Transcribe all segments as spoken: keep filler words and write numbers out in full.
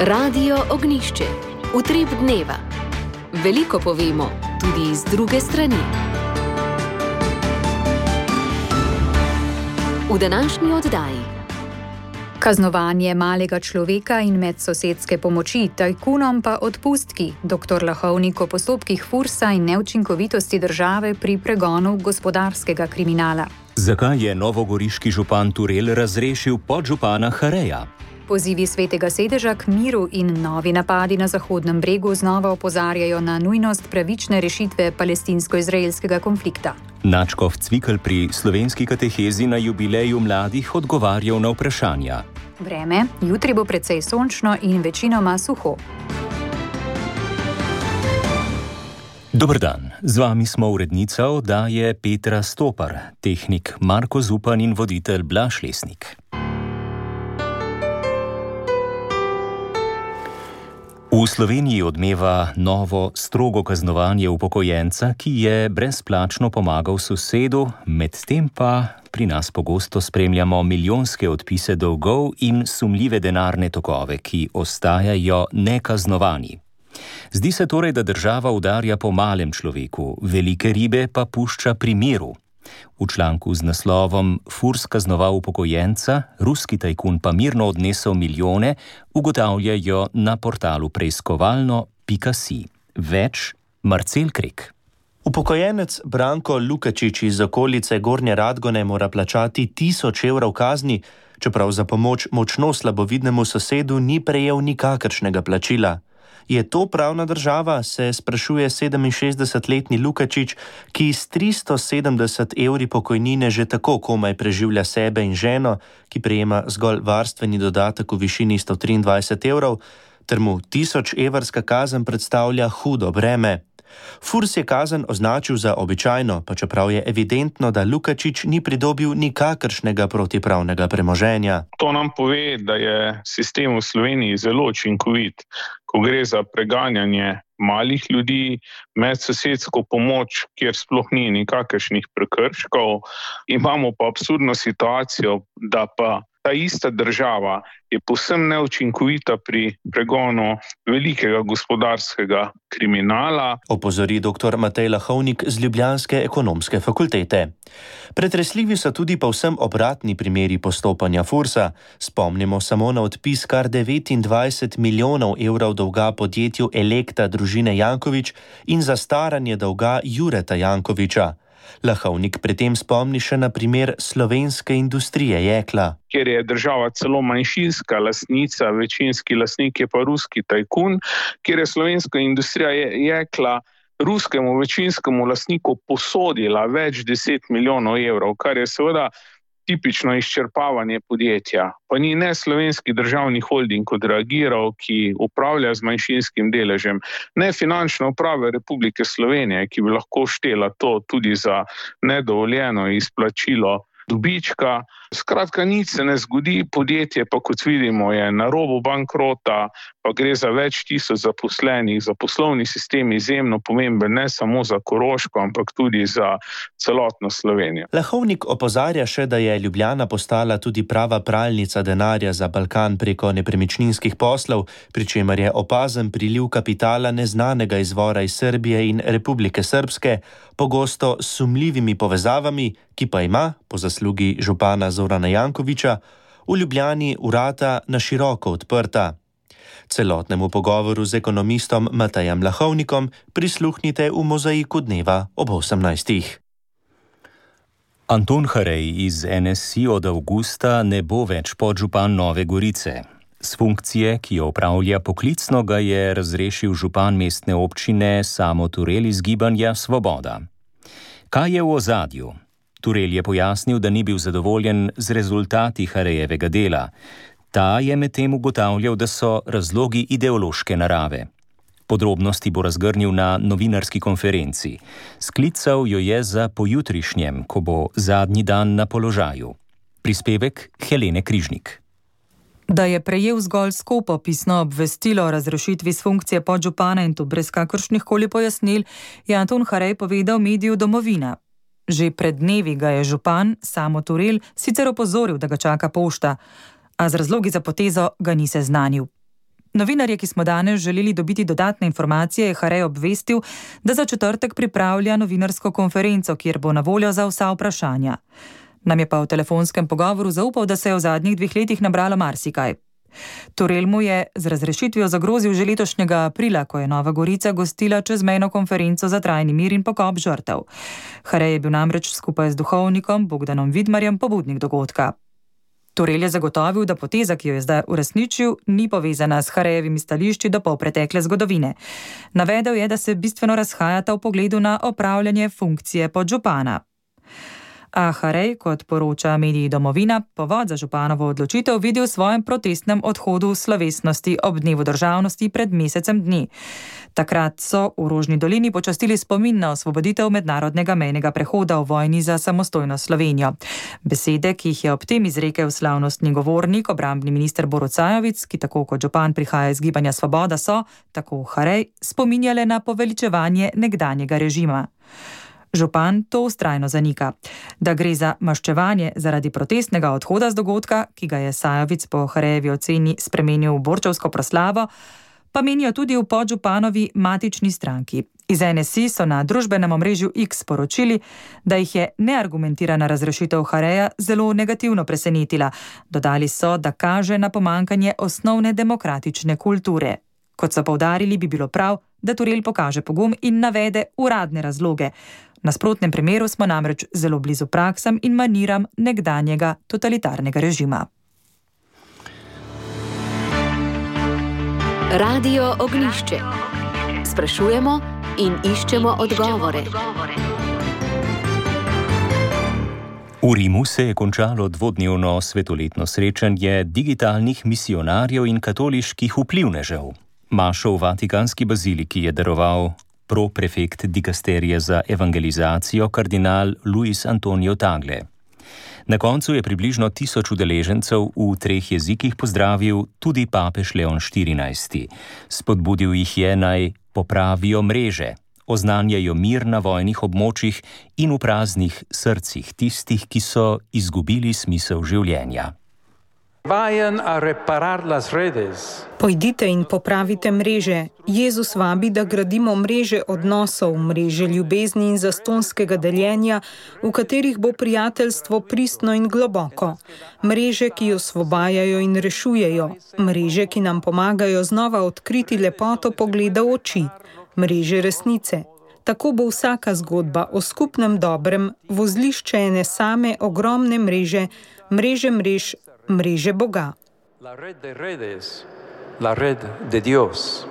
Radio Ognišče, utrip dneva. Veliko povemo, tudi iz druge strani. V današnji oddaji. Kaznovanje malega človeka in medsosedske pomoči, tajkunom pa odpustki, doktor Lahovnik o postopkih Fursa in neučinkovitosti države pri pregonu gospodarskega kriminala. Zakaj je novogoriški župan Turel razrešil podžupana Hareja? Pozivi Svetega sedeža k miru in novi napadi na Zahodnem bregu znova opozarjajo na nujnost pravične rešitve palestinsko-izraelskega konflikta. Nadškof Cvikl pri slovenski katehezi na jubileju mladih odgovarjal na vprašanja. Vreme, jutri bo precej sončno in večinoma suho. Dober dan, z vami smo urednica oddaje Petra Stopar, tehnik Marko Zupan in voditelj Blaž Lesnik. V Sloveniji odmeva novo strogo kaznovanje upokojenca, ki je brezplačno pomagal sosedu, medtem pa pri nas pogosto spremljamo milijonske odpise dolgov in sumljive denarne tokove, ki ostajajo nekaznovani. Zdi se torej, da država udarja po malem človeku, velike ribe pa pušča pri miru. V članku z naslovom Furs kaznoval upokojenca, ruski tajkun pa mirno odnesel milijone, ugotavljajo na portalu preiskovalno pika si. Več Marcel Krek. Upokojenec Branko Lukačič iz okolice Gornje Radgone mora plačati tisoč evrov kazni, čeprav za pomoč močno slabovidnemu sosedu ni prejel nikakršnega plačila. Je to pravna država, se sprašuje sedeminšestdesetletni Lukačič, ki s tristo sedemdeset evri pokojnine že tako komaj preživlja sebe in ženo, ki prejema zgolj varstveni dodatek v višini sto triindvajset evrov, ter mu tisoč evrska kazen predstavlja hudo breme. Furs je kazen označil za običajno, pa čeprav je evidentno, da Lukačič ni pridobil nikakršnega protipravnega premoženja. To nam pove, da je sistem v Sloveniji zelo učinkovit, ko gre za preganjanje malih ljudi, medsosedsko pomoč, kjer sploh ni nikakršnih prekrškov. Imamo pa absurdno situacijo, da pa ta ista država je povsem neučinkovita pri pregonu velikega gospodarskega kriminala. Opozori doktor Matej Lahovnik z ljubljanske ekonomske fakultete. Pretresljivi so tudi povsem obratni primeri postopanja Fursa. Spomnimo samo na odpis kar devetindvajset milijonov evrov dolga podjetju Elekta družine Janković in zastaranje dolga Jureta Jankovića. Lahovnik pri tem spomni še na primer slovenske industrije jekla. Kjer je država celo manjšinska lastnica, večinski lastnik je pa ruski tajkun, kjer je slovenska industrija jekla ruskemu večinskemu lastniku posodila več deset milijonov evrov, kar je seveda tipično izčrpavanje podjetja. Pa ni ne slovenski državni holding odreagiral, ki upravlja z manjšinskim deležem, ne finančna uprava Republike Slovenije, ki bi lahko štela to tudi za nedovoljeno izplačilo dobička. Skratka, nič se ne zgodi, podjetje pa, kot vidimo, je na robu bankrota, pa gre za več tisoč zaposlenih, za poslovni sistem izjemno pomemben, ne samo za Koroško, ampak tudi za celotno Slovenijo. Lahovnik opozarja še, da je Ljubljana postala tudi prava pralnica denarja za Balkan preko nepremičninskih poslov, pri čemer je opazen priliv kapitala neznanega izvora iz Srbije in Republike Srbske, pogosto s sumljivimi povezavami, ki pa ima, po zaslugi župana Zorana Jankovića, v Ljubljani vrata na široko odprta. Celotnemu pogovoru z ekonomistom Matejem Lahovnikom prisluhnite v Mozaiku dneva ob osemnajstih. Anton Harej iz en es i od avgusta ne bo več podžupan Nove Gorice. S funkcije, ki jo opravlja poklicno, ga je razrešil župan mestne občine Samo Turel iz Gibanja Svoboda. Kaj je v ozadju? Turel je pojasnil, da ni bil zadovoljen z rezultati Harejevega dela. Ta je medtem ugotavljal, da so razlogi ideološke narave. Podrobnosti bo razgrnil na novinarski konferenci. Sklical jo je za pojutrišnjem, ko bo zadnji dan na položaju. Prispevek Helene Križnik. Da je prejel zgolj skopo pisno obvestilo o razrešitvi s funkcije podžupana in to brez kakršnih koli pojasnil, je Anton Harej povedal mediju Domovina. Že pred dnevi ga je župan Samo Turel sicer opozoril, da ga čaka pošta, a z razlogi za potezo ga ni seznanil. Novinarje, ki smo danes želeli dobiti dodatne informacije, je Harej obvestil, da za četrtek pripravlja novinarsko konferenco, kjer bo na voljo za vsa vprašanja. Nam je pa v telefonskem pogovoru zaupal, da se je v zadnjih dveh letih nabralo marsikaj. Torel mu je z razrešitvijo zagrozil že letošnjega aprila, ko je Nova Gorica gostila čezmejno konferenco za trajni mir in pokop žrtev. Harej je bil namreč skupaj z duhovnikom Bogdanom Vidmarjem pobudnik dogodka. Torel je zagotovil, da poteza, ki jo je zdaj uresničil, ni povezana s Harejevimi stališči do polpretekle zgodovine. Navedel je, da se bistveno razhajata v pogledu na opravljanje funkcije podžupana. A Harej, kot poroča mediji Domovina, povod za županovo odločitev vidi v svojem protestnem odhodu slovesnosti ob dnevu državnosti pred mesecem dni. Takrat so v Rožni dolini počastili spomin na osvoboditev mednarodnega mejnega prehoda v vojni za samostojno Slovenijo. Besede, ki jih je ob tem izrekel slavnostni govornik, obrambni minister Borut Sajovic, ki tako kot župan prihaja iz Gibanja Svoboda, so, tako Harej, spominjale na poveličevanje nekdanjega režima. Župan to vztrajno zanika. Da gre za maščevanje zaradi protestnega odhoda z dogodka, ki ga je Sajovic po Harejevi oceni spremenil v borčevsko proslavo, pa menijo tudi v podžupanovi matični stranki. Iz N S I so na družbenem omrežju X sporočili, da jih je neargumentirana razrešitev Hareja zelo negativno presenetila. Dodali so, da kaže na pomankanje osnovne demokratične kulture. Kot so poudarili, bi bilo prav, da Torel pokaže pogum in navede uradne razloge. V nasprotnem primeru smo namreč zelo blizu praksam in maniram nekdanjega totalitarnega režima. Radio Ognjišče. Sprašujemo in iščemo odgovore. V Rimu se je končalo dvodnevno svetoletno srečanje digitalnih misijonarjev in katoliških vplivnežev. Mašo v Vatikanski baziliki je daroval proprefekt dikasterije za evangelizacijo kardinal Luis Antonio Tagle. Na koncu je približno tisoč udeležencev v treh jezikih pozdravil tudi papež Leon štirinajsti. Spodbudil jih je, naj popravijo mreže, oznanjajo mir na vojnih območjih in v praznih srcih tistih, ki so izgubili smisel življenja. Pojdite in popravite mreže. Jezus vabi, da gradimo mreže odnosov, mreže ljubezni in zastonskega deljenja, v katerih bo prijateljstvo pristno in globoko. Mreže, ki osvobajajo in rešujejo. Mreže, ki nam pomagajo znova odkriti lepoto pogleda v oči. Mreže resnice. Tako bo vsaka zgodba o skupnem dobrem vozlišče ene same ogromne mreže, mreže mrež, mreže Boga. La red de redes, la red de Dios.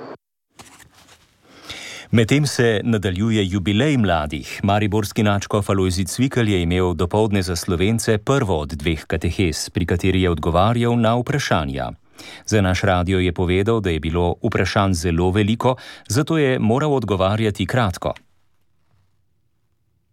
Medtem se nadaljuje jubilej mladih. Mariborski nadškof Alojzij Cvikl je imel dopoldne za Slovence prvo od dveh katehes, pri kateri je odgovarjal na vprašanja. Za naš radio je povedal, da je bilo vprašanj zelo veliko, zato je moral odgovarjati kratko.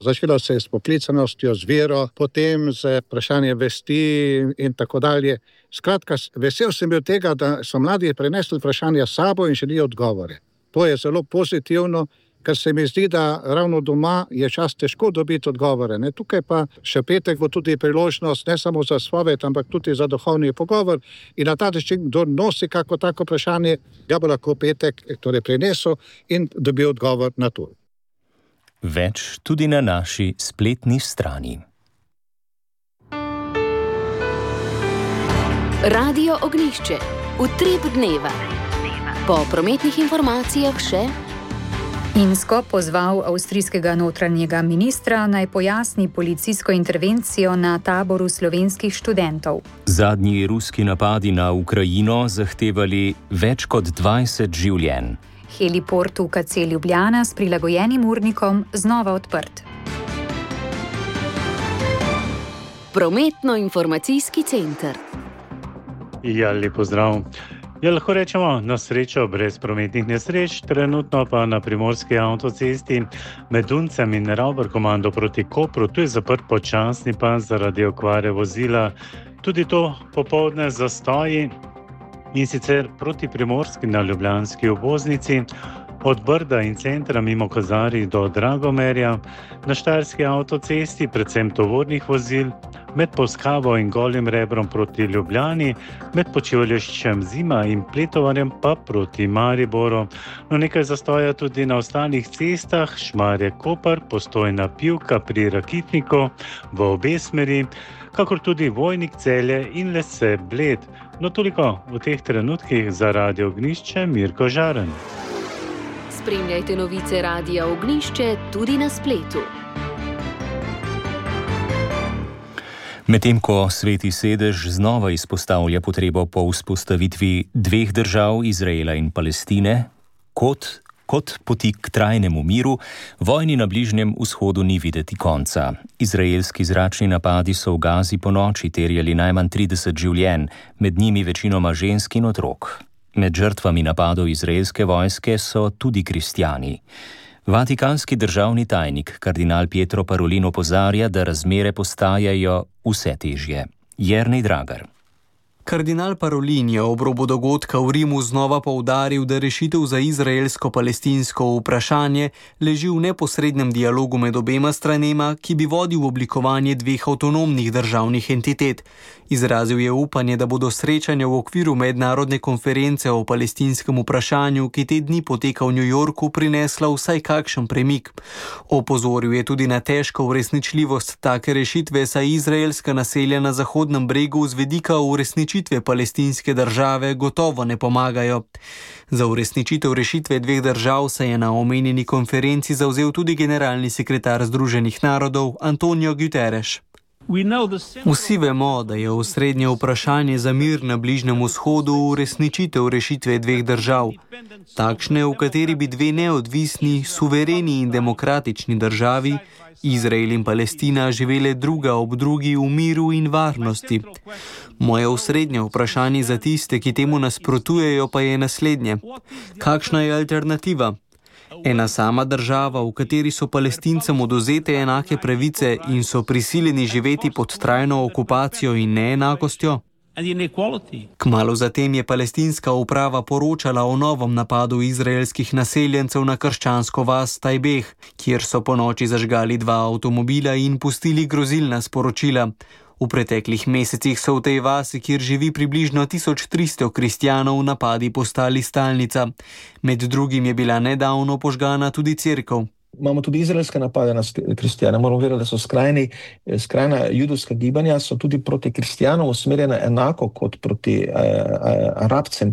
Začelo se je s poklicanostjo, z vero, potem z vprašanje vesti in tako dalje. Skratka, vesel sem bil tega, da so mladi prenesli vprašanja s sabo in želijo odgovore. To je zelo pozitivno, ker se mi zdi, da ravno doma je čas težko dobiti odgovore. Ne? Tukaj pa še petek bo tudi priložnost ne samo za spoved, ampak tudi za duhovni pogovor in na ta način, kdo nosi kako tako vprašanje, ga bo lahko petek torej prenesel in dobil odgovor na to. Več tudi na naši spletni strani. Radio Ognjišče. Utrip dneva. Po prometnih informacijah še Insko pozval avstrijskega notranjega ministra, naj pojasni policijsko intervencijo na taboru slovenskih študentov. Zadnji ruski napadi na Ukrajino zahtevali več kot dvajset življenj. Heliport v K C Ljubljana s prilagojenim urnikom znova odprt. Prometno-informacijski center. Ja, lep pozdrav. Ja, lahko rečemo na srečo brez prometnih nesreč, trenutno pa na primorski avtocesti med Duncem in Ravbarkomando proti Kopru, tu je zaprt počasni pas zaradi okvare vozila. Tudi to popoldne zastoji in sicer proti primorski na ljubljanski obvoznici, od Brda in centra mimo Kozarij do Dragomerja, na štajerski avtocesti predvsem tovornih vozil, med Polskavo in Golim rebrom proti Ljubljani, med Počivaleščem Zima in Pletovanjem pa proti Mariboru. No, nekaj zastoja tudi na ostalih cestah, Šmarje-Koper, Postojna Pivka pri Rakitniku v obe smeri, kakor tudi Vojnik-Celje in Lese-Bled. No, toliko v teh trenutkih za Radio Ognjišče, Mirko Žaren. Spremljajte novice Radia Ognjišče tudi na spletu. Medtem ko Sveti sedež znova izpostavlja potrebo po vzpostavitvi dveh držav, Izraela in Palestine, kot, kot poti k trajnemu miru, vojni na Bližnjem vzhodu ni videti konca. Izraelski zračni napadi so v Gazi ponoči terjali najmanj trideset življenj, med njimi večinoma žensk in otrok. Med žrtvami napadov izraelske vojske so tudi kristjani. Vatikanski državni tajnik kardinal Pietro Parolin opozarja, da razmere postajajo vse težje. Jernej Dragar. Kardinal Parolin je ob robu dogodka v Rimu znova poudaril, da rešitev za izraelsko-palestinsko vprašanje leži v neposrednem dialogu med obema stranema, ki bi vodil v oblikovanje dveh avtonomnih državnih entitet. Izrazil je upanje, da bodo srečanja v okviru mednarodne konference o palestinskem vprašanju, ki te dni poteka v New Yorku, prinesla vsaj kakšen premik. Opozoril je tudi na težko uresničljivost take rešitve, saj izraelska naselja na Zahodnem bregu z vidika uresničitve palestinske države gotovo ne pomagajo. Za uresničitev rešitve dveh držav se je na omenjeni konferenci zavzel tudi generalni sekretar Združenih narodov Antonio Guterres. Vsi vemo, da je osrednje vprašanje za mir na Bližnjem vzhodu uresničitev rešitve dveh držav. Takšne, v kateri bi dve neodvisni, suvereni in demokratični državi, Izrael in Palestina, živele druga ob drugi v miru in varnosti. Moje osrednje vprašanje za tiste, ki temu nasprotujejo, pa je naslednje. Kakšna je alternativa? Ena sama država, v kateri so Palestincem odvzete enake pravice in so prisiljeni živeti pod trajno okupacijo in neenakostjo? Kmalu zatem je palestinska uprava poročala o novem napadu izraelskih naseljencev na krščansko vas Tajbeh, kjer so ponoči zažgali dva avtomobila in pustili grozilna sporočila. V preteklih mesecih so v tej vasi, kjer živi približno tisoč tristo kristjanov, napadi postali stalnica. Med drugim je bila nedavno požgana tudi cerkev. Imamo tudi izraelske napade na kristjane. Moramo vedeti, da so skrajni, skrajna judovska gibanja so tudi proti kristjanom usmerjena enako kot proti eh, arabcem.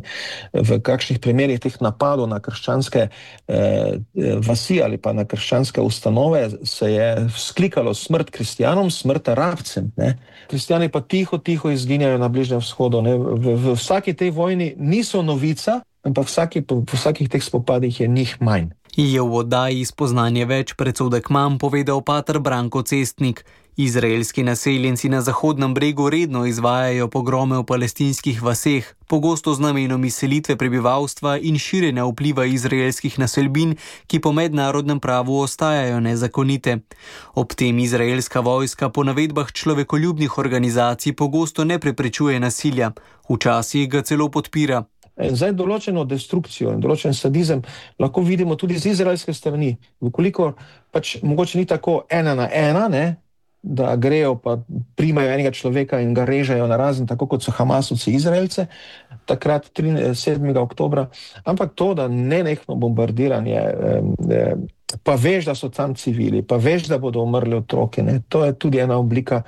V kakšnih primerih teh napadov na krščanske eh, vasi ali pa na krščanske ustanove se je vzklikalo smrt kristjanom, smrt arabcem. Ne? Kristjani pa tiho, tiho izginjajo na Bližnjem vzhodu. Ne? V, v vsaki tej vojni niso novica, ampak vsaki, v vsakih teh spopadih je njih manj. Je v oddaji Spoznanje več predsodek manj povedal pater Branko Cestnik. Izraelski naseljenci na Zahodnem bregu redno izvajajo pogrome v palestinskih vaseh, pogosto z namenom izselitve prebivalstva in širjenja vpliva izraelskih naselbin, ki po mednarodnem pravu ostajajo nezakonite. Ob tem izraelska vojska po navedbah človekoljubnih organizacij pogosto ne preprečuje nasilja, včasih ga celo podpira. Zdaj določeno destrukcijo in določen sadizem lahko vidimo tudi z izraelske strani. Vkolikor pač mogoče ni tako ena na ena, ne, da grejo pa primajo enega človeka in ga režejo na razen, tako kot so Hamasovci Izraelce, takrat sedmega oktobra, ampak to, da nenehno bombardiranje, pa veš, da so tam civili, pa veš, da bodo umrli otroke, ne, to je tudi ena oblika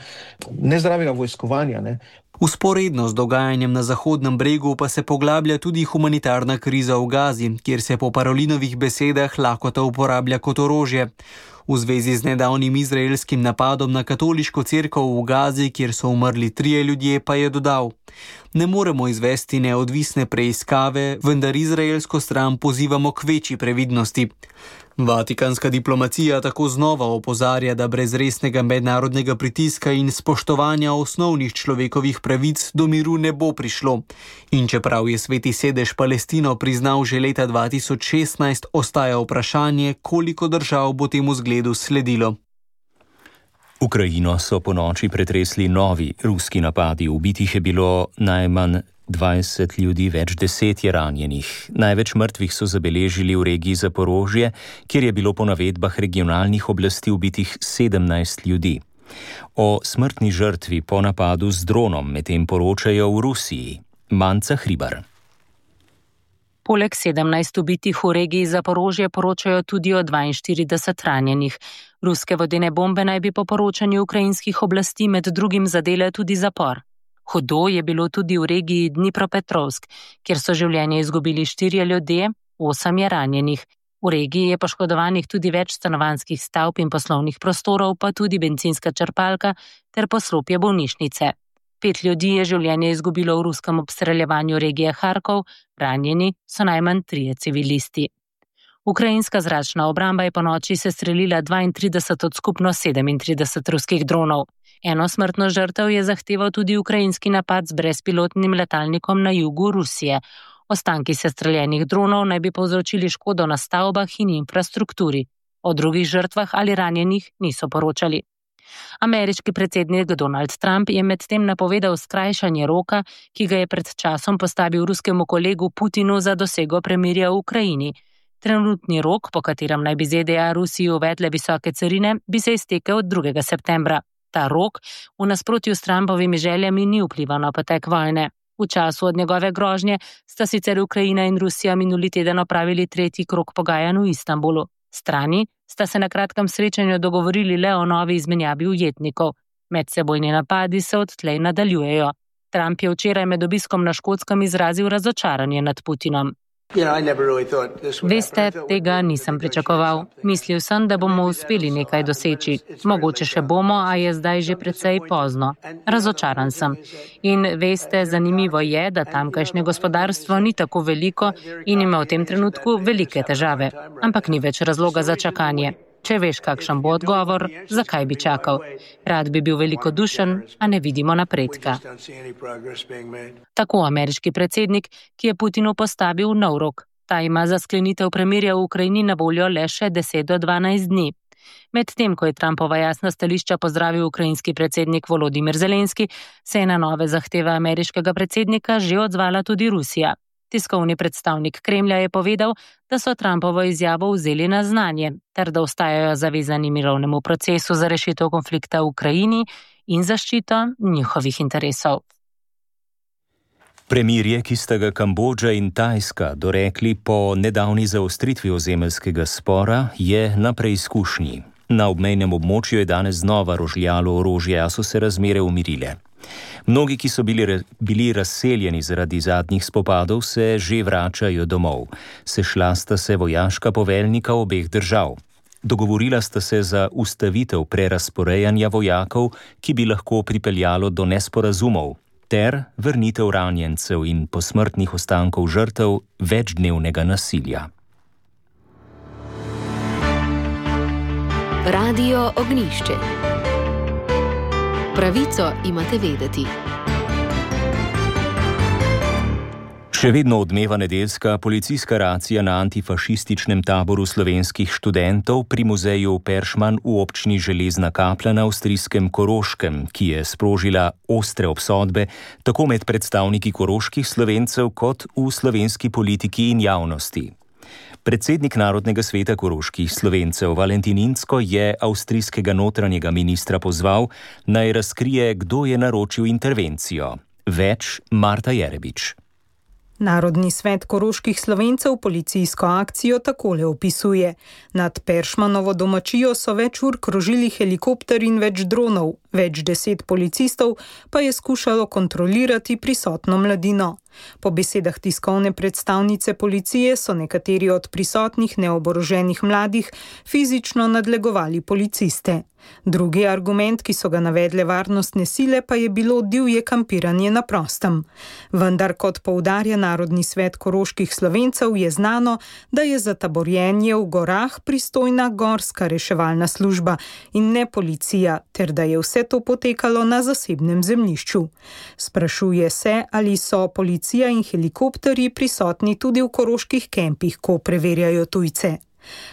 nezdravega vojskovanja, ne. Vzporedno z dogajanjem na Zahodnem bregu pa se poglablja tudi humanitarna kriza v Gazi, kjer se po Parolinovih besedah lakota uporablja kot orožje. V zvezi z nedavnim izraelskim napadom na katoliško cerkev v Gazi, kjer so umrli trije ljudje, pa je dodal: Ne moremo izvesti neodvisne preiskave, vendar izraelsko stran pozivamo k večji previdnosti. Vatikanska diplomacija tako znova opozarja, da brez resnega mednarodnega pritiska in spoštovanja osnovnih človekovih pravic do miru ne bo prišlo. In čeprav je Sveti sedež Palestino priznal že leta dva tisoč šestnajst, ostaja vprašanje, koliko držav bo temu zgledu sledilo. Ukrajino so ponoči pretresli novi ruski napadi. Ubitih je bilo najmanj dvajset ljudi, več deset je ranjenih. Največ mrtvih so zabeležili v regiji Zaporožje, kjer je bilo po navedbah regionalnih oblasti ubitih sedemnajst ljudi. O smrtni žrtvi po napadu z dronom medtem poročajo v Rusiji. Manca Hribar. Poleg sedemnajst ubitih v regiji Zaporožje poročajo tudi o dvainštirideset ranjenih. Ruske vodene bombe naj bi po poročanju ukrajinskih oblasti med drugim zadele tudi zapor. Hudo je bilo tudi v regiji Dnipropetrovsk, kjer so življenje izgubili štirje ljudje, osem je ranjenih. V regiji je poškodovanih tudi več stanovanjskih stavb in poslovnih prostorov, pa tudi bencinska črpalka ter poslopje bolnišnice. Pet ljudi je življenje izgubilo v ruskem obstreljevanju regije Harkov, ranjeni so najmanj trije civilisti. Ukrajinska zračna obramba je ponoči sestrelila dvaintrideset od skupno sedemintrideset ruskih dronov. Eno smrtno žrtev je zahteval tudi ukrajinski napad z brezpilotnim letalnikom na jugu Rusije. Ostanki sestreljenih dronov naj bi povzročili škodo na stavbah in infrastrukturi. O drugih žrtvah ali ranjenih niso poročali. Ameriški predsednik Donald Trump je medtem napovedal skrajšanje roka, ki ga je pred časom postavil ruskemu kolegu Putinu za dosego premirja v Ukrajini. Trenutni rok, po katerem naj bi Z D A Rusiji uvedle visoke carine, bi se iztekel drugega septembra. Ta rok v nasprotju s Trumpovimi željami ni vplival na potek vojne. V času od njegove grožnje sta sicer Ukrajina in Rusija minuli teden opravili tretji krog pogajanj v Istanbulu. Strani sta se na kratkem srečanju dogovorili le o novi izmenjavi ujetnikov. Medsebojni napadi se odtlej nadaljujejo. Trump je včeraj med obiskom na Škotskem izrazil razočaranje nad Putinom. Veste, tega nisem pričakoval. Mislil sem, da bomo uspeli nekaj doseči. Mogoče še bomo, a je zdaj že precej pozno. Razočaran sem. In veste, zanimivo je, da tamkajšnje gospodarstvo ni tako veliko in ima v tem trenutku velike težave. Ampak ni več razloga za čakanje. Če veš, kakšen bo odgovor, zakaj bi čakal? Rad bi bil velikodušen, a ne vidimo napredka. Tako ameriški predsednik, ki je Putinu postavil nov rok. Ta ima za sklenitev premirja v Ukrajini na voljo le še deset do dvanajst dni. Medtem, ko je Trumpova jasna stališča pozdravil ukrajinski predsednik Volodimir Zelenski, se je na nove zahteve ameriškega predsednika že odzvala tudi Rusija. Tiskovni predstavnik Kremlja je povedal, da so Trumpovo izjavo vzeli na znanje, ter da ostajajo zavezani mirovnemu procesu za rešitev konflikta v Ukrajini in zaščito njihovih interesov. Premirje, ki sta ga Kambodža in Tajska dorekli po nedavni zaostritvi ozemeljskega spora, je na preizkušnji. Na obmejnem območju je danes znova rožljalo orožje, a so se razmere umirile. Mnogi, ki so bili, bili razseljeni zaradi zadnjih spopadov, se že vračajo domov. Sešla sta se vojaška poveljnika obeh držav. Dogovorila sta se za ustavitev prerasporejanja vojakov, ki bi lahko pripeljalo do nesporazumov, ter vrnitev ranjencev in posmrtnih ostankov žrtev večdnevnega nasilja. Radio Ognjišče. Pravico imate vedeti. Še vedno odmeva nedeljska policijska racija na antifašističnem taboru slovenskih študentov pri muzeju Peršman v občini Železna Kapla na avstrijskem Koroškem, ki je sprožila ostre obsodbe tako med predstavniki koroških Slovencev kot v slovenski politiki in javnosti. Predsednik Narodnega sveta koroških Slovencev Valentin Incko je avstrijskega notranjega ministra pozval, naj razkrije, kdo je naročil intervencijo. Več Marta Jerebič. Narodni svet koroških Slovencev policijsko akcijo takole opisuje. Nad Peršmanovo domačijo so več ur krožili helikopter in več dronov, več deset policistov pa je skušalo kontrolirati prisotno mladino. Po besedah tiskovne predstavnice policije so nekateri od prisotnih neoboroženih mladih fizično nadlegovali policiste. Drugi argument, ki so ga navedle varnostne sile, pa je bilo divje kampiranje na prostem. Vendar, kot poudarja Narodni svet koroških Slovencev, je znano, da je za taborjenje v gorah pristojna gorska reševalna služba in ne policija, ter da je vse to potekalo na zasebnem zemljišču. Sprašuje se, ali so policija in helikopterji prisotni tudi v koroških kempih, ko preverjajo tujce.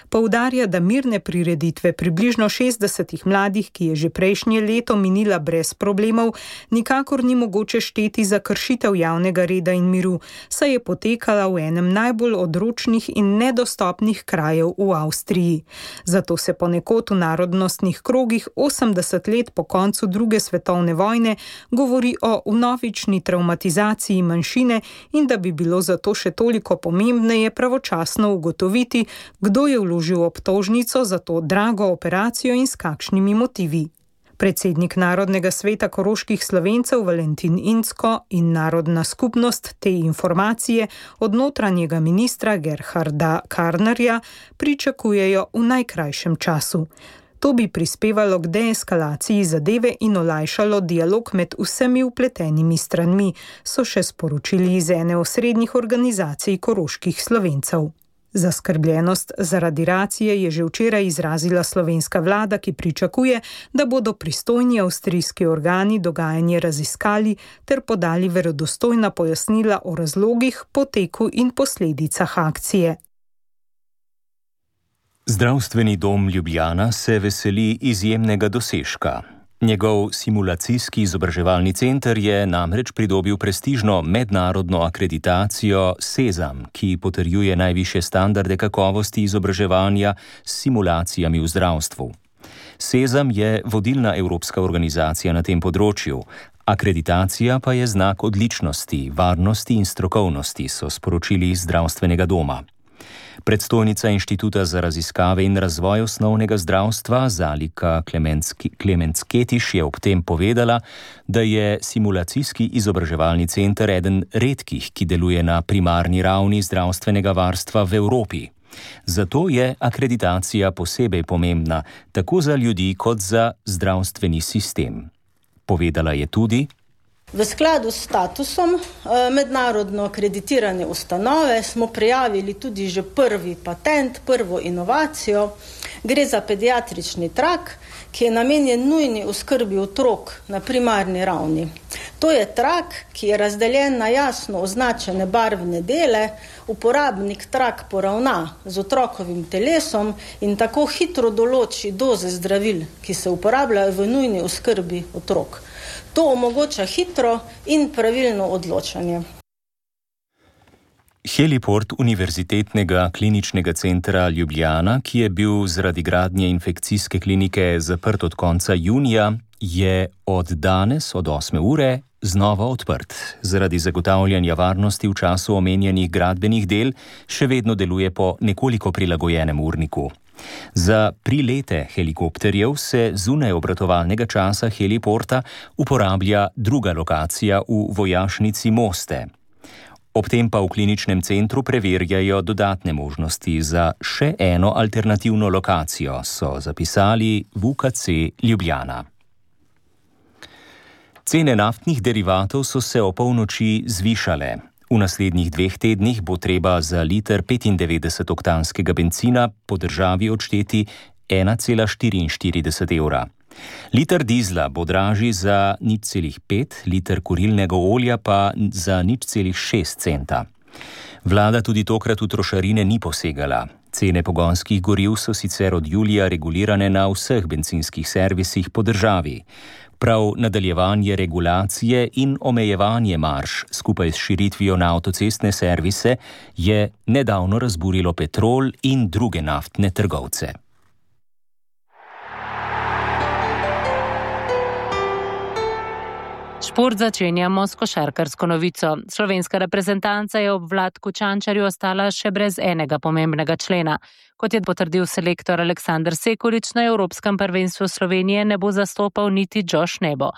Poudarja, da mirne prireditve približno šestdesetih mladih, ki je že prejšnje leto minila brez problemov, nikakor ni mogoče šteti za kršitev javnega reda in miru, saj je potekala v enem najbolj odročnih in nedostopnih krajev v Avstriji. Zato se ponekod v narodnostnih krogih osemdeset let po koncu druge svetovne vojne govori o vnovični travmatizaciji manjšine in da bi bilo zato še toliko pomembneje pravočasno ugotoviti, kdo je vložil obtožnico za to drago operacijo in s kakšnimi motivi. Predsednik Narodnega sveta koroških Slovencev Valentin Incko in Narodna skupnost te informacije od notranjega ministra Gerharda Karnerja pričakujejo v najkrajšem času. To bi prispevalo k deeskalaciji zadeve in olajšalo dialog med vsemi vpletenimi stranmi, so še sporočili iz ene osrednjih organizacij koroških Slovencev. Zaskrbljenost zaradi racije je že včeraj izrazila slovenska vlada, ki pričakuje, da bodo pristojni avstrijski organi dogajanje raziskali ter podali verodostojna pojasnila o razlogih, poteku in posledicah akcije. Zdravstveni dom Ljubljana se veseli izjemnega dosežka. Njegov simulacijski izobraževalni center je namreč pridobil prestižno mednarodno akreditacijo SESAM, ki potrjuje najvišje standarde kakovosti izobraževanja s simulacijami v zdravstvu. SESAM je vodilna evropska organizacija na tem področju. Akreditacija pa je znak odličnosti, varnosti in strokovnosti, so sporočili iz zdravstvenega doma. Predstojnica Inštituta za raziskave in razvoj osnovnega zdravstva Zalika Klemencketiš je ob tem povedala, da je simulacijski izobraževalni center eden redkih, ki deluje na primarni ravni zdravstvenega varstva v Evropi. Zato je akreditacija posebej pomembna, tako za ljudi kot za zdravstveni sistem. Povedala je tudi: V skladu s statusom mednarodno akreditirane ustanove smo prijavili tudi že prvi patent, prvo inovacijo. Gre za pediatrični trak, ki je namenjen nujni oskrbi otrok na primarni ravni. To je trak, ki je razdeljen na jasno označene barvne dele. Uporabnik trak poravna z otrokovim telesom in tako hitro določi doze zdravil, ki se uporabljajo v nujni oskrbi otrok. To omogoča hitro in pravilno odločanje. Heliport Univerzitetnega kliničnega centra Ljubljana, ki je bil zaradi gradnje infekcijske klinike zaprt od konca junija, je od danes od osme ure znova odprt. Zaradi zagotavljanja varnosti v času omenjenih gradbenih del še vedno deluje po nekoliko prilagojenem urniku. Za prilete helikopterjev se zunaj obratovalnega časa heliporta uporablja druga lokacija v vojašnici Moste. Ob tem pa v kliničnem centru preverjajo dodatne možnosti za še eno alternativno lokacijo, so zapisali v U K C Ljubljana. Cene naftnih derivatov so se o polnoči zvišale. V naslednjih dveh tednih bo treba za liter petindevetdesetoktanskega bencina po državi odšteti ena cela štiriinštirideset evra. Liter dizla bo dražji za nič celih pet, liter kurilnega olja pa za nič celih šest centa. Vlada tudi tokrat v trošarine ni posegala. Cene pogonskih goriv so sicer od julija regulirane na vseh bencinskih servisih po državi. Prav nadaljevanje regulacije in omejevanje marž skupaj s širitvijo na avtocestne servise je nedavno razburilo Petrol in druge naftne trgovce. Šport začenjamo s košarkarsko novico. Slovenska reprezentanca je ob Vlatku Čančarju ostala še brez enega pomembnega člena. Kot je potrdil selektor Aleksander Sekulič, na Evropskem prvenstvu Slovenije ne bo zastopal niti Josh Nebo.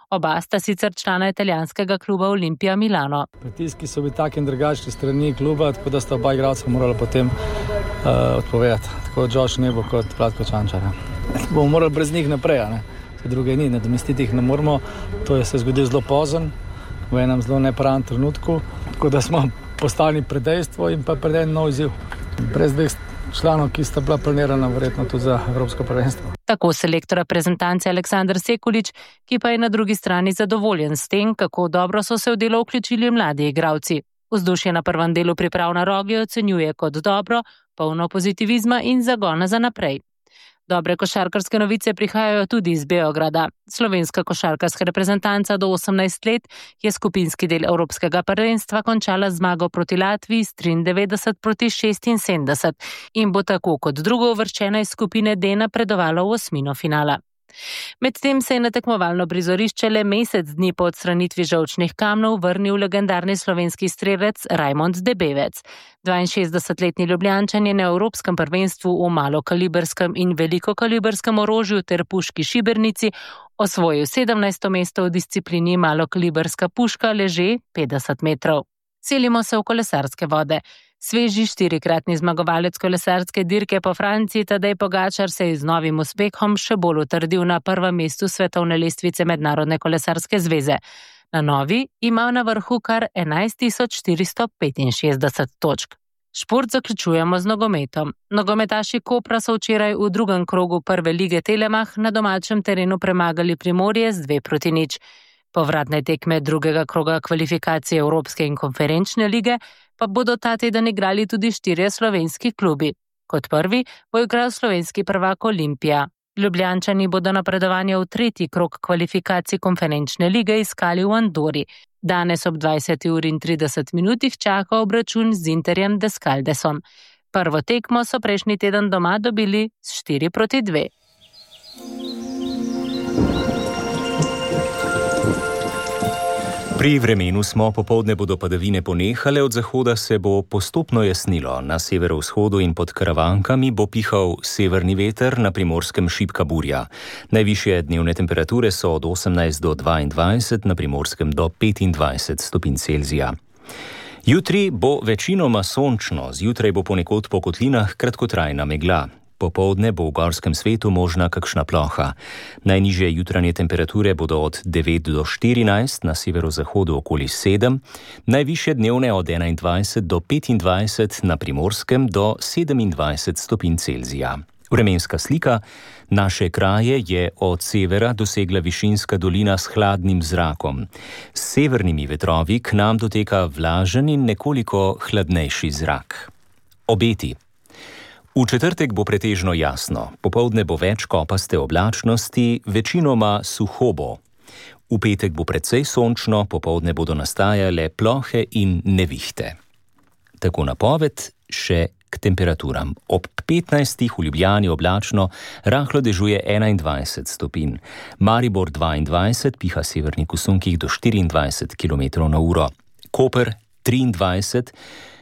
Oba sta sicer člana italijanskega kluba Olimpija Milano. Pritiski so bili taki in drugačni strani kluba, tako da sta oba igralca morala potem uh, odpovedati. Tako Josh Nebo kot Vlatko Čančarja. Bomo morali brez njih naprej, ne? Druge ni, nadomestiti jih ne moramo. To je se zgodilo zelo pozno, v enem zelo nepravem trenutku, tako da smo postali pred dejstvo in pa pred en nov izziv. Brez dveh članov, ki sta bila planirana verjetno tudi za Evropsko prvenstvo. Tako selektor reprezentance Aleksander Sekulič, ki pa je na drugi strani zadovoljen s tem, kako dobro so se v delo vključili mladi igralci. Vzdušje na prvem delu priprav na Rogli ocenjuje kot dobro, polno pozitivizma in zagona za naprej. Dobre košarkarske novice prihajajo tudi iz Beograda. Slovenska košarkarska reprezentanca do osemnajst let je skupinski del Evropskega prvenstva končala zmago proti Latviji s triindevetdeset proti šestinsedemdeset in bo tako kot drugo uvrščena iz skupine D napredovala v osmino finala. Medtem se je na tekmovalno prizorišče le mesec dni po odstranitvi žolčnih kamnov vrnil legendarni slovenski strelec Rajmond Debevec. dvainšestdesetletni Ljubljančan je na Evropskem prvenstvu v malokaliberskem in velikokalibrskem orožju ter puški šibernici osvojil sedemnajsto mesto v disciplini malokaliberska puška leže petdeset metrov. Selimo se v kolesarske vode. Sveži štirikratni zmagovalec kolesarske dirke po Franciji Tadej Pogačar se je z novim uspehom še bolj utrdil na prvem mestu svetovne lestvice Mednarodne kolesarske zveze. Na novi ima na vrhu kar enajst tisoč štiristo petinšestdeset točk. Šport zaključujemo z nogometom. Nogometaši Kopra so včeraj v drugem krogu prve lige Telemach na domačem terenu premagali Primorje z dve proti nič. Povratne tekme drugega kroga kvalifikacije Evropske in konferenčne lige pa bodo ta teden igrali tudi štirje slovenski klubi. Kot prvi bo igral slovenski prvak Olimpija. Ljubljančani bodo napredovanje v tretji krog kvalifikacij konferenčne lige iskali v Andori. Danes ob dvajseti uri in trideset minutih čaka obračun z Interjem Descaldesom. Prvo tekmo so prejšnji teden doma dobili s štiri proti dve. Pri vremenu smo, popoldne bodo padavine ponehale, od zahoda se bo postopno jasnilo. Na severovzhodu in pod Karavankami bo pihal severni veter, na Primorskem šibka burja. Najvišje dnevne temperature so od osemnajst do dvaindvajset, na Primorskem do petindvajset stopinj Celzija. Jutri bo večinoma sončno, zjutraj bo ponekod po kotlinah kratkotrajna megla. Popoldne bo v gorskem svetu možna kakšna ploha. Najnižje jutranje temperature bodo od devet do štirinajst, na severozahodu okoli sedem, najvišje dnevne od enaindvajset do petindvajset, na Primorskem do sedemindvajset stopinj Celzija. Vremenska slika naše kraje je od severa dosegla višinska dolina s hladnim zrakom. S severnimi vetrovi k nam doteka vlažen in nekoliko hladnejši zrak. Obeti. V četrtek bo pretežno jasno, popoldne bo več kopaste oblačnosti, večinoma suho bo. V petek bo precej sončno, popoldne bodo nastajale plohe in nevihte. Tako napoved še k temperaturam. Ob petnajstih v Ljubljani oblačno, rahlo dežuje enaindvajset stopinj. Maribor dvaindvajset, piha severnik v sunkih do štiriindvajset kilometrov na uro. Koper triindvajset,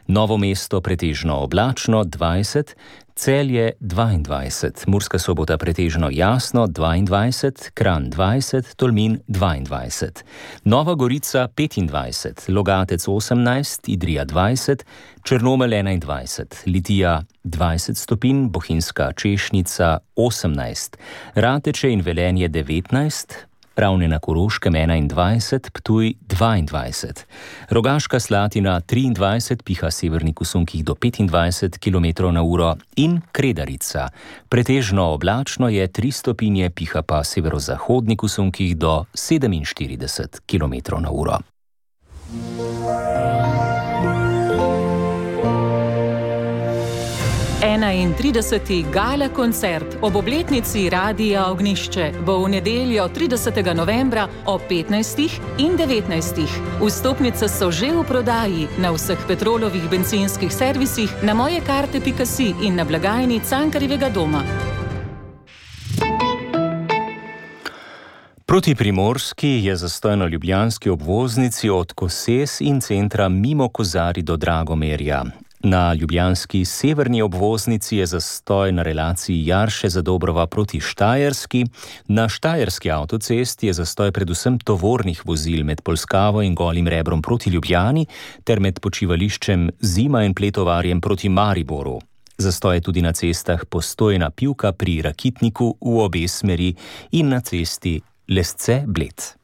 Novo mesto pretežno oblačno dvajset, Celje dvaindvajset, Murska Sobota pretežno jasno dvaindvajset, Kranj dvajset, Tolmin dvaindvajset, Nova Gorica petindvajset, Logatec osemnajst, Idrija dvajset, Črnomelj enaindvajset, Litija dvajset stopinj, Bohinjska Češnica osemnajst, Rateče in Velenje devetnajst, Ravne na Koroškem enaindvajset, Ptuj dvaindvajset, Rogaška Slatina triindvajset, piha severnik v sunkih do petindvajset kilometrov na uro in Kredarica. Pretežno oblačno je tri stopinje, piha pa severozahodnik v sunkih do sedeminštirideset kilometrov na uro. enaintrideseti gala koncert ob obletnici Radia Ognjišče bo v nedeljo tridesetega novembra ob petnajstih in devetnajstih. Vstopnice so že v prodaji na vseh Petrolovih bencinskih servisih, na mojekarte pika si in na blagajni Cankarjevega doma. Proti Primorski je zastoj na ljubljanski obvoznici od Koses in centra mimo Kozari do Dragomerja. Na ljubljanski severni obvoznici je zastoj na relaciji Jarše-Zadobrova proti Štajerski. Na štajerski avtocesti je zastoj predvsem tovornih vozil med Polskavo in Golim Rebrom proti Ljubljani ter med počivališčem Zima in Pletovarjem proti Mariboru. Zastoj je tudi na cestah Postojna Pivka pri Rakitniku v obe smeri in na cesti Lesce-Bled.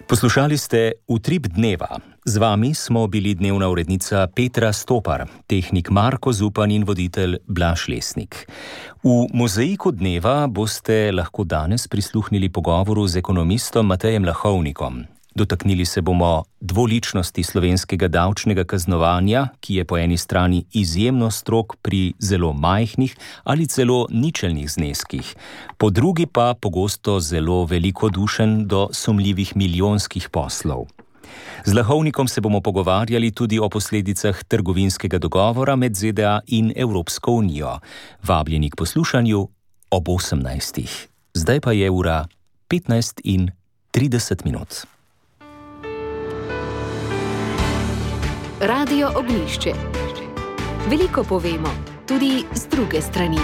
Poslušali ste Utrip dneva. Z vami smo bili dnevna urednica Petra Stopar, tehnik Marko Zupan in voditelj Blaž Lesnik. V mozaiku dneva boste lahko danes prisluhnili pogovoru z ekonomistom Matejem Lahovnikom. Dotaknili se bomo dvoličnosti slovenskega davčnega kaznovanja, ki je po eni strani izjemno strog pri zelo majhnih ali celo ničelnih zneskih, po drugi pa pogosto zelo velikodušen do sumljivih milijonskih poslov. Z Lahovnikom se bomo pogovarjali tudi o posledicah trgovinskega dogovora med Z D A in Evropsko unijo. Vabljeni k poslušanju ob osemnajstih. Zdaj pa je ura petnajst in trideset minut. Radio Ognjišče. Veliko povemo, tudi z druge strani.